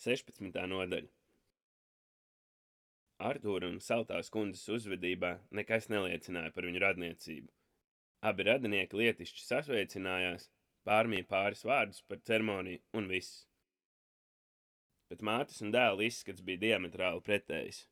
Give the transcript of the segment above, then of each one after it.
16. nodaļa. Artūra un Saltās kundzes uzvedībā nekas neliecināja par viņu radniecību. Abi radinieki lietišķi sasveicinājās, pārmīja pāris vārdus par ceremoniju un viss. Bet mātes un dēla izskats bija diametrāli pretējs.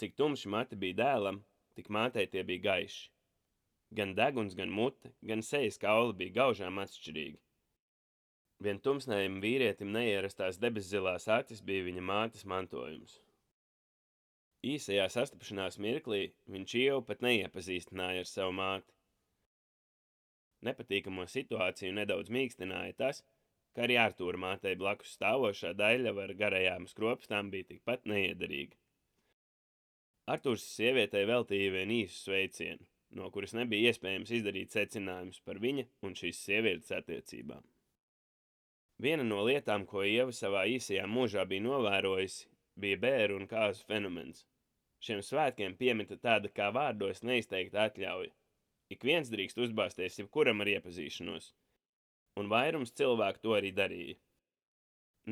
Cik tumši mati bija dēlam, tik mātei tie bija gaiši. Gan deguns, gan mute, gan sejas kauli bija gaužām atšķirīgi. Vien tumsnējam vīrietim neierastās debeszilās acis bija viņa mātes mantojums. Īsajā sastapšanās mirklī viņš Ievu pat neiepazīstināja ar savu māti. Nepatīkamo situāciju nedaudz mīkstināja tas, ka arī Artūra mātei blakus stāvošā daļļava ar garajām skropstām bija tikpat neiederīga. Artūrs sievietei veltīja vien īsu sveicienu, no kuras nebija iespējams izdarīt secinājumus par viņa un šīs sievietes attiecībām. Viena no lietām, ko Ieva savā īsajā mūžā bija novērojusi, bija bēru un kāzu fenomens. Šiem svētkiem piemita tāda kā vārdos neizteikta atļauja. Ik viens drīkst uzbāzties jebkuram ar iepazīšanos, un vairums cilvēku to arī darīja.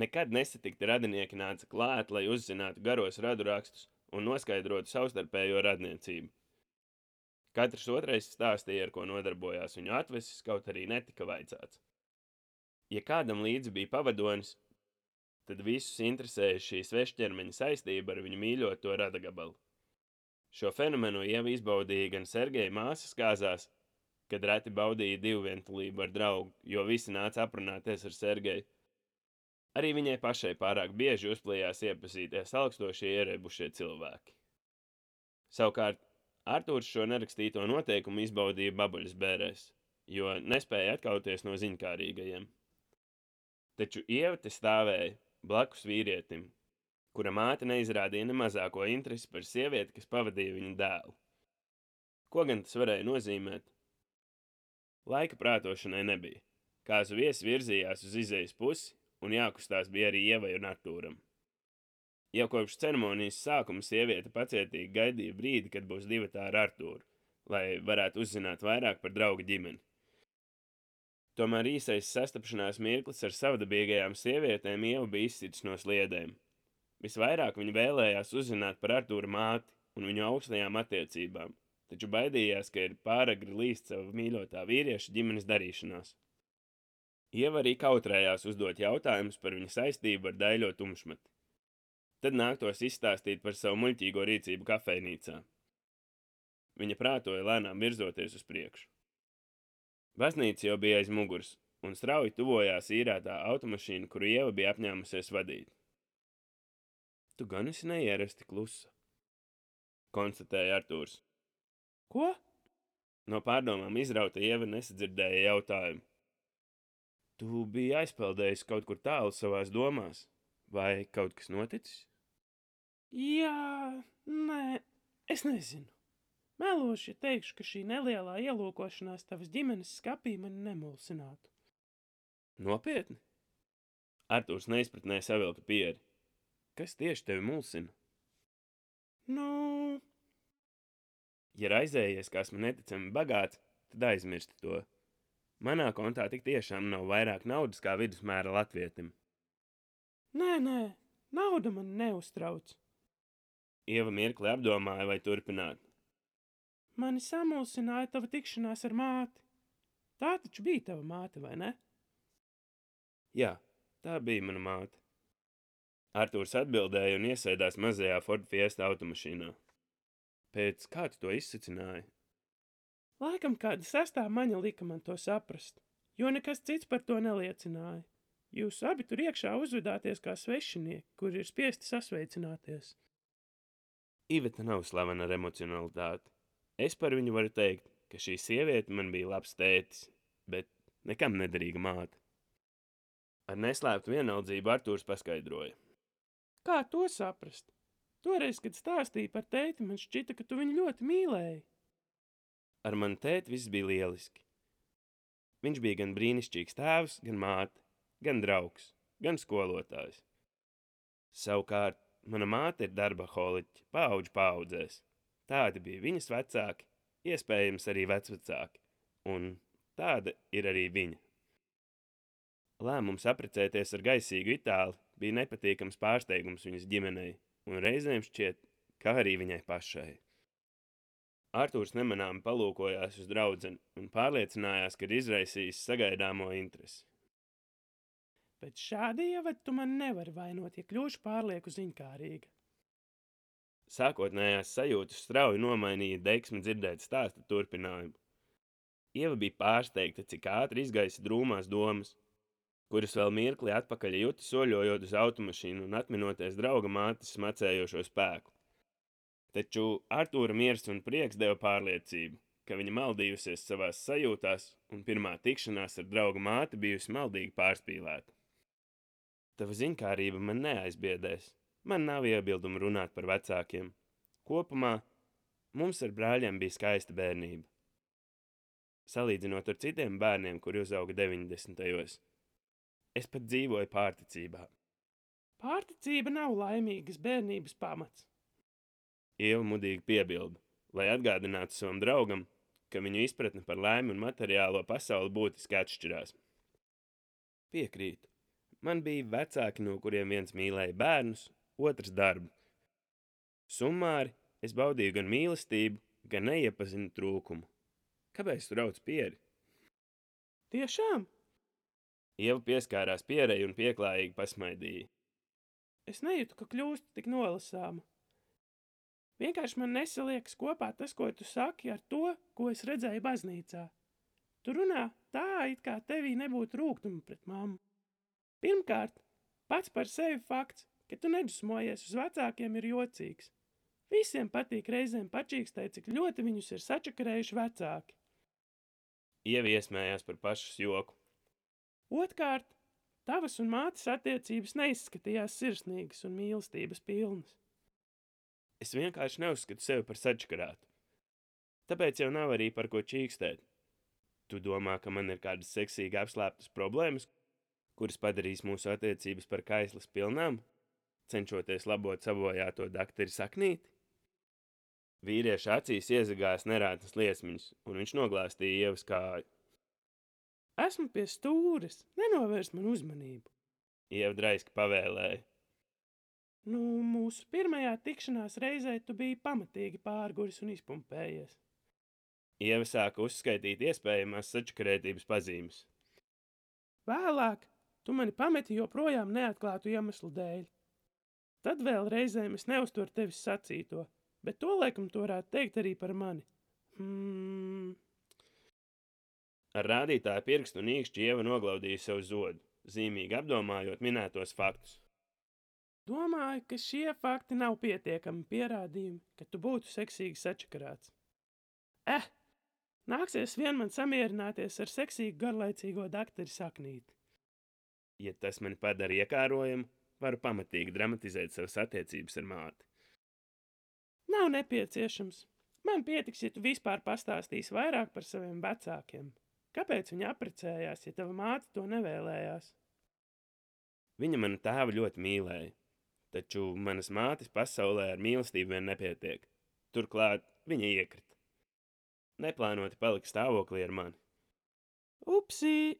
Nekad nesatikti radinieki nāca klāt, lai uzzinātu garos radurakstus un noskaidrotu savstarpējo radniecību. Katrs otrais stāstīja, ar ko nodarbojās viņu atvesis, kaut arī netika vaicāts. Ja kādam līdzi bija pavadonis, tad visus interesēja šī svešķermeņa saistība ar viņu mīļoto radagabalu. Šo fenomenu Ieva izbaudīja gan Sergeja māsas kāzās, kad reti baudīja divvientulību ar draugu, jo visi nāca aprunāties ar Sergeju. Arī viņai pašai pārāk bieži uzplījās iepazīties augstošie ierēbušie cilvēki. Savukārt, Artūrs šo nerakstīto noteikumu izbaudīja babuļas bērēs, jo nespēja atkauties no ziņkārīgajiem. Taču Ieva te stāvēja blakus vīrietim, kura māte neizrādīja ne mazāko interesi par sievieti, kas pavadīja viņu dēlu. Ko gan tas varēja nozīmēt? Laika prātošanai nebija. Kāzu viesi virzījās uz izejas pusi, un jākustās bija arī Ievai un Artūram. Jau kopš ceremonijas sākuma sieviete pacietīgi gaidīja brīdi, kad būs divatā ar Artūru, lai varētu uzzināt vairāk par drauga ģimeni. Tomēr īsais sastapšanās mirklis ar savdabīgajām sievietēm Ieva bija izsits no sliedēm. Visvairāk viņa vēlējās uzzināt par Artūra māti un viņu augstajām attiecībām, taču baidījās, ka ir pāragri līst savu mīļotā vīrieša ģimenes darīšanās. Ieva arī kautrējās uzdot jautājumus par viņa saistību ar daļo tumšmati. Tad nāktos izstāstīt par savu muļķīgo rīcību kafejnīcā. Viņa prātoja lēnām virzoties uz priekšu. Baznīca jau bija aiz muguras, un strauji tuvojās īrētā automašīna, kuru Ieva bija apņēmusies vadīt. Tu gan esi neierasti klusa, konstatēja Artūrs. Ko? No pārdomām izrauta Ieva nesadzirdēja jautājumu. Tu biji aizpeldējis kaut kur tālu savās domās, vai kaut kas noticis? Jā, nē, es nezinu. Meloši teikšu, ka šī nelielā ielūkošanās tavas ģimenes skapī mani nemulsinātu. Nopietni? Artūrs neizpratnē savilka pieri. Kas tieši tevi mulsina? Nu, Ja raizējies, ka esmu neticami bagāts, tad aizmirsti to. Manā kontā tik tiešām nav vairāk naudas kā vidusmēra latvietim. nē, nauda man neuztrauc. Ieva mirkli apdomāja, vai turpināt. Mani samulsināja tava tikšanās ar māti. Tā taču bija tava māte, vai ne? Jā, tā bija mana māte. Artūrs atbildēja un iesēdās mazajā Ford Fiesta automašīnā. Pēc kā tu to izsacināji? Laikam kāda sestā maņa lika man to saprast, jo nekas cits par to neliecināja. Jūs abi tur iekšā uzvedāties kā svešinieki, kuri ir spiesti sasveicināties. Iveta nav slavena ar emocionalitāti. Es par viņu varu teikt, ka šī sieviete man bija labs tētis, bet nekam nederīga māte. Ar neslēptu vienaldzību Artūrs paskaidroja. Kā to saprast? Toreiz, kad stāstīja par tēti, man šķita, ka tu viņu ļoti mīlēji. Ar mani tēti viss bija lieliski. Viņš bija gan brīnišķīgs tēvs, gan māte, gan draugs, gan skolotājs. Savukārt, mana māte ir darbaholiķe, paudžu paudzēs. Tādi bija viņas vecāki, iespējams arī vecvecāki, un tāda ir arī viņa. Lēmums apprecēties ar gaisīgu itāli bija nepatīkams pārsteigums viņas ģimenei, un reizēm šķiet, kā arī viņai pašai. Artūrs nemanāmi palūkojās uz draudzeni un pārliecinājās, ka ir izraisījis sagaidāmo interesi. Pēc šāda ievada tu man nevari vainot, ja kļūšu pārlieku ziņkārīga. Sākotnējās sajūtas strauji nomainīja deksmi dzirdēt stāsta turpinājumu. Ieva bija pārsteigta, cik ātri izgaisa drūmās domas, kuras vēl mirkli atpakaļ juta soļojot uz automašīnu un atminoties drauga mātes smacējošo spēku. Taču Artūra miers un prieks deva pārliecību, ka viņa maldījusies savās sajūtās, un pirmā tikšanās ar drauga māti bijusi maldīgi pārspīlēta. Tava ziņkārība man neaizbiedēs. Man nav iebildumu runāt par vecākiem. Kopumā mums ar brāļiem bija skaista bērnība. Salīdzinot ar citiem bērniem, kuri uzauga 90. Es pat dzīvoju pārticībā. Pārticība nav laimīgas bērnības pamats. Ieva mudīgi piebilda, lai atgādinātu savam draugam, ka viņu izpratne par laimi un materiālo pasauli būtiski atšķirās. Piekrītu. Man bija vecāki, no kuriem viens mīlēja bērnus, otrs darbu. Summāri es baudīju gan mīlestību, gan neiepazinu trūkumu. Kāpēc tu rauc pieri? Tiešām? Ieva pieskārās pierei un pieklājīgi pasmaidīja. Es nejūtu, ka kļūstu tik nolasāma. Vienkārši man nesaliekas kopā tas, ko tu saki, ar to, ko es redzēju baznīcā. Tu runā tā, it kā tevī nebūtu rūgtuma pret mammu. Pirmkārt, pats par sevi fakts, ka tu nedusmojies uz vecākiem, ir jocīgs. Visiem patīk reizēm pačīkstēt, cik ļoti viņus ir sačakarējuši vecāki. Ieva iesmējās par pašas joku. Otkārt, tavas un mātes attiecības neizskatījās sirsnīgas un mīlestības pilnas. Es vienkārši neuzskatu sevi par sačakarātu. Tāpēc jau nav arī par ko čīkstēt. Tu domā, ka man ir kādas seksīgi apslēptas problēmas, kuras padarīs mūsu attiecības par kaislas pilnām, cenšoties labot sabojāto dakteri saknīti? Vīrieša acīs iezagās nerētas liesmiņas, un viņš noglāstīja Ievas kāju. Esmu pie stūres, nenovērs man uzmanību. Ieva draiski pavēlēja. Mūsu pirmajā tikšanās reizē tu biji pamatīgi pārguris un izpumpējies. Ieva sāka uzskaitīt iespējamās sačakarētības pazīmes. Vēlāk tu mani pameti joprojām neatklātu iemeslu dēļ. Tad vēl reizēm es neuzturu tevis sacīto, bet to laikam tu varētu teikt arī par mani. Ar rādītāju pirkstu un īkšķi Ieva noglaudīja sev zodu, zīmīgi apdomājot minētos faktus. Domāju, ka šie fakti nav pietiekami pierādījumi, ka tu būtu seksīgi sačakarāts. Nāksies vien man samierināties ar seksīgu garlaicīgo dakteri saknīti. Ja tas mani padara iekārojumu, varu pamatīgi dramatizēt savas attiecības ar māti. Nav nepieciešams. Man pietiks, ja tu vispār pastāstīsi vairāk par saviem vecākiem. Kāpēc viņa apprecējās, ja tava māte to nevēlējās? Viņa manu tēvu ļoti mīlēja, taču manas mātes pasaulē ar mīlestību vien nepietiek. Turklāt viņa iekrita. Neplānoti palika stāvoklī ar mani. Upsī!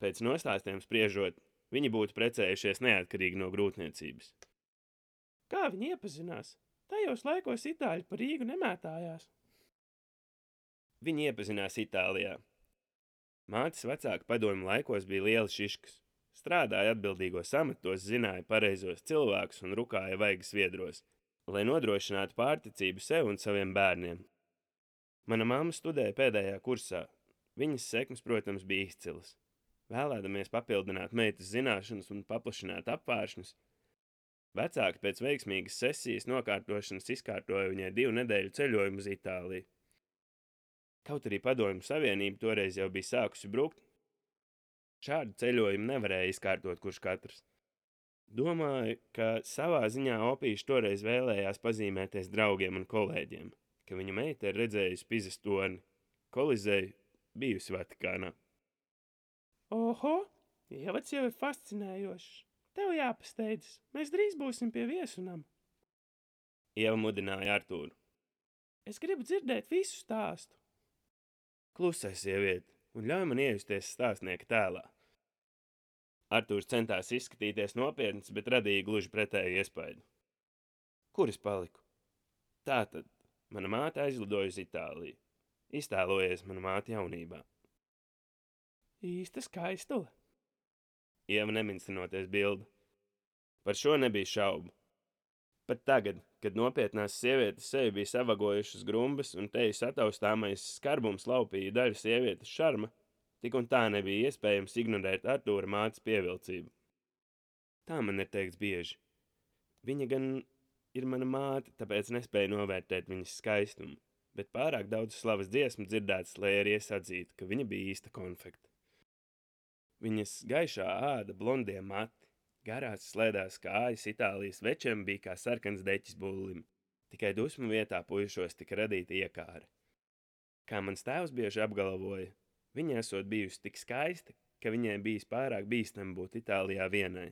Pēc nostāstiem spriežot, viņi būtu precējušies neatkarīgi no grūtniecības. Kā viņi iepazinās? Tajos laikos itāļi par Rīgu nemētājās. Viņi iepazinās Itālijā. Mātes vecāka padomju laikos bija liela šiškas. Strādāja atbildīgos amatos, zināja pareizos cilvēkus un rukāja vaigas viedros, lai nodrošinātu pārticību sev un saviem bērniem. Mana mamma studēja pēdējā kursā. Viņas sekmes, protams, bija izcilas. Vēlēdamies papildināt meitas zināšanas un paplašināt apvāršņus, vecāki pēc veiksmīgas sesijas nokārtošanas izkārtoja viņai 2 nedēļu ceļojumu uz Itāliju. Kaut arī Padomju Savienība toreiz jau bija sākusi brukt, šādu ceļojumu nevarēja izkārtot kurš katrs. Domāju, ka savā ziņā opīši toreiz vēlējās pazīmēties draugiem un kolēģiem, ka viņa meita ir redzējusi Pizas torni, Kolizeju, bijusi Vatikānā. Oho, ievads jau ir fascinējošs. Tev jāpasteidzas, mēs drīz būsim pie viesunam. Ieva mudināja Artūru. Es gribu dzirdēt visu stāstu. Klusai, sieviete, un ļauj man iejusties stāstnieka tēlā. Artūrs centās izskatīties nopietns, bet radīja gluži pretēju iespaidu. Kur es paliku? Tātad, mana māte aizlidoja uz Itāliju. Iztēlojies mana māte jaunībā. Īsta skaistule. Ieva neminstinoties bildi. Par šo nebija šaubu. Pat tagad, kad nopietnās sievietes sevi bija savagojušas grumbas un teju sataustāmais skarbums laupīja daļu sievietes šarma, tik un tā nebija iespējams ignorēt Artūra mātes pievilcību. Tā man ir teikts bieži. Viņa gan ir mana māte, tāpēc nespēja novērtēt viņas skaistumu, bet pārāk daudz slavas dziesmu dzirdētas, lai arī es atzītu, ka viņa bija īsta konfekta. Viņas gaišā āda, blondie mati, garās slēdās kājas Itālijas večiem bija kā sarkans deķis bullim, tikai dusmu vietā puišos tika radīta iekāra. Kā mans tēvs bieži apgalvoja, viņa esot bijusi tik skaista, ka viņai bijis pārāk bīstami būt Itālijā vienai.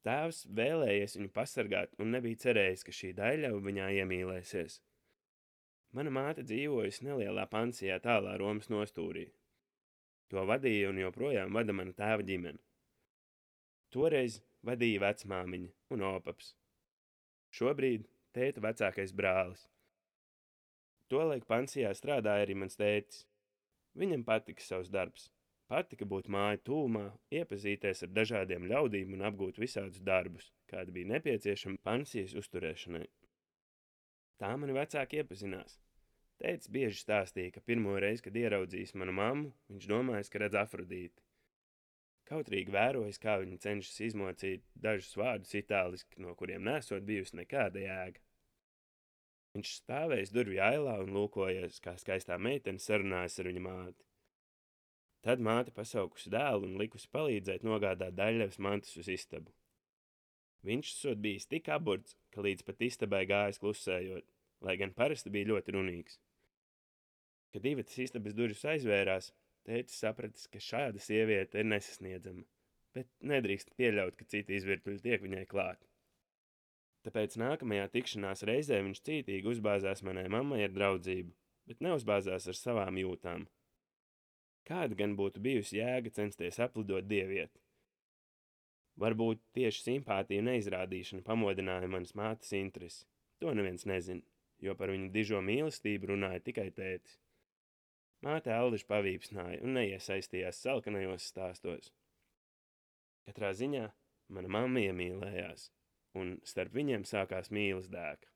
Tēvs vēlējies viņu pasargāt un nebija cerējis, ka šī daļļava viņā iemīlēsies. Mana māte dzīvojusi nelielā pansijā tālā Romas nostūrī. To vadīja un joprojām vada mana tēva ģimene. Toreiz vadīja vecmāmiņa un opaps. Šobrīd tēta vecākais brālis. Tolaik pansijā strādāja arī mans tētis. Viņam patika savs darbs. Patika būt māju tūmā, iepazīties ar dažādiem ļaudīm un apgūt visādus darbus, kādi bija nepieciešami pansijas uzturēšanai. Tā mani vecāki iepazinās. Tētis bieži stāstīja, ka pirmo reizi, kad ieraudzījis manu mammu, viņš domājis, ka redz Afrodīti. Kautrīgi vērojis, kā viņa cenšas izmocīt dažus vārdus itāliski, no kuriem nesot bijusi nekāda jēga. Viņš stāvējis durvju ailā un lūkojies, kā skaistā meitene sarunājas ar viņa māti. Tad māte pasaukusi dēlu un likusi palīdzēt nogādāt daļļavas mantas uz istabu. Viņš esot bijis tik aburts, ka līdz pat istabai gājis klusējot, lai gan parasti bija ļoti runīgs. Kad divatas istabas durvis aizvērās, tētis sapratis, ka šāda sieviete ir nesasniedzama, bet nedrīkst pieļaut, ka citi izvirtuļi tiek viņai klāt. Tāpēc nākamajā tikšanās reizē viņš cītīgi uzbāzās manai mammai ar draudzību, bet neuzbāzās ar savām jūtām. Kāda gan būtu bijusi jēga censties aplidot dievieti? Varbūt tieši simpātija neizrādīšana pamodināja manas mātes interesi. To neviens nezina, jo par viņu dižo mīlestību runāja tikai tētis. Māte Aldiši pavīpsnāja un neiesaistījās salkanajos stāstos. Katrā ziņā mana mamma iemīlējās, un starp viņiem sākās mīlas dēka.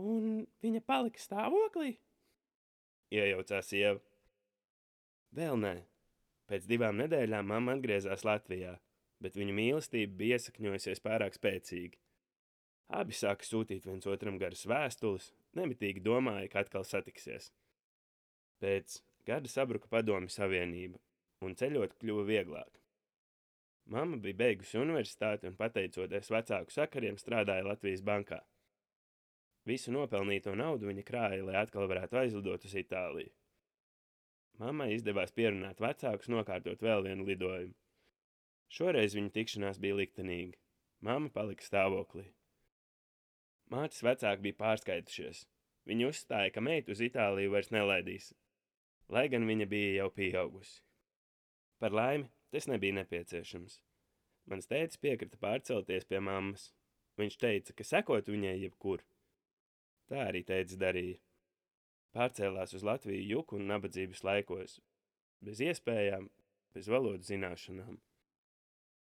Un viņa palika stāvoklī? Iejaucās Ieva. Vēl nē. Pēc 2 nedēļām mamma atgriezās Latvijā, bet viņu mīlestība bija iesakņojusies pārāk spēcīgi. Abi sāka sūtīt viens otram garas vēstules, nemitīgi domāja, ka atkal satiksies. Pēc gada sabruka Padomju Savienība, un ceļot kļuva vieglāk. Mamma bija beigusi universitāti un pateicoties vecāku sakariem strādāja Latvijas bankā. Visu nopelnīto naudu viņa krāja, lai atkal varētu aizlidot uz Itāliju. Mammai izdevās pierunāt vecākus nokārtot vēl vienu lidojumu. Šoreiz viņa tikšanās bija liktenīga. Mamma palika stāvoklī. Mātes vecāki bija pārskaitušies. Viņi uzstāja, ka meitu uz Itāliju vairs nelaidīs, lai gan viņa bija jau pieaugusi. Par laimi, tas nebija nepieciešams. Mans tētis piekrita pārcelties pie mammas. Viņš teica, ka sekotu viņai jebkur. Tā arī tētis darīja. Pārcēlās uz Latviju juku un nabadzības laikos, bez iespējām, bez valodu zināšanām.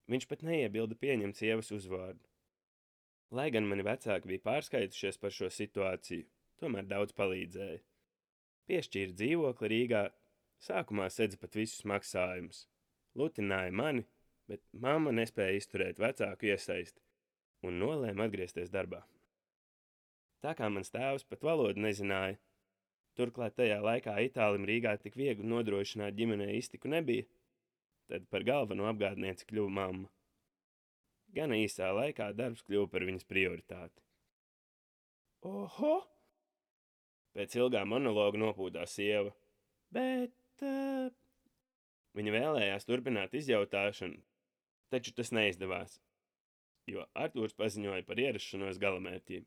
Viņš pat neiebilda pieņemt sievas uzvārdu. Lai gan mani vecāki bija pārskaitušies par šo situāciju, tomēr daudz palīdzēja. Piešķīra dzīvokli Rīgā, sākumā sedza pat visus maksājumus. Lutināja mani, bet mamma nespēja izturēt vecāku iesaisti un nolēma atgriezties darbā. Tā kā mans tēvs pat valodu nezināja, turklāt tajā laikā Itālim Rīgā tik viegli nodrošināt ģimenei iztiku nebija, tad par galveno apgādnieci kļuva mamma. Gana īsā laikā darbs kļuva par viņas prioritāti. Oho! Pēc ilgā monologa nopūtās Ieva. Bet... Viņa vēlējās turpināt izjautāšanu, taču tas neizdevās, jo Artūrs paziņoja par ierašanos galamērķī.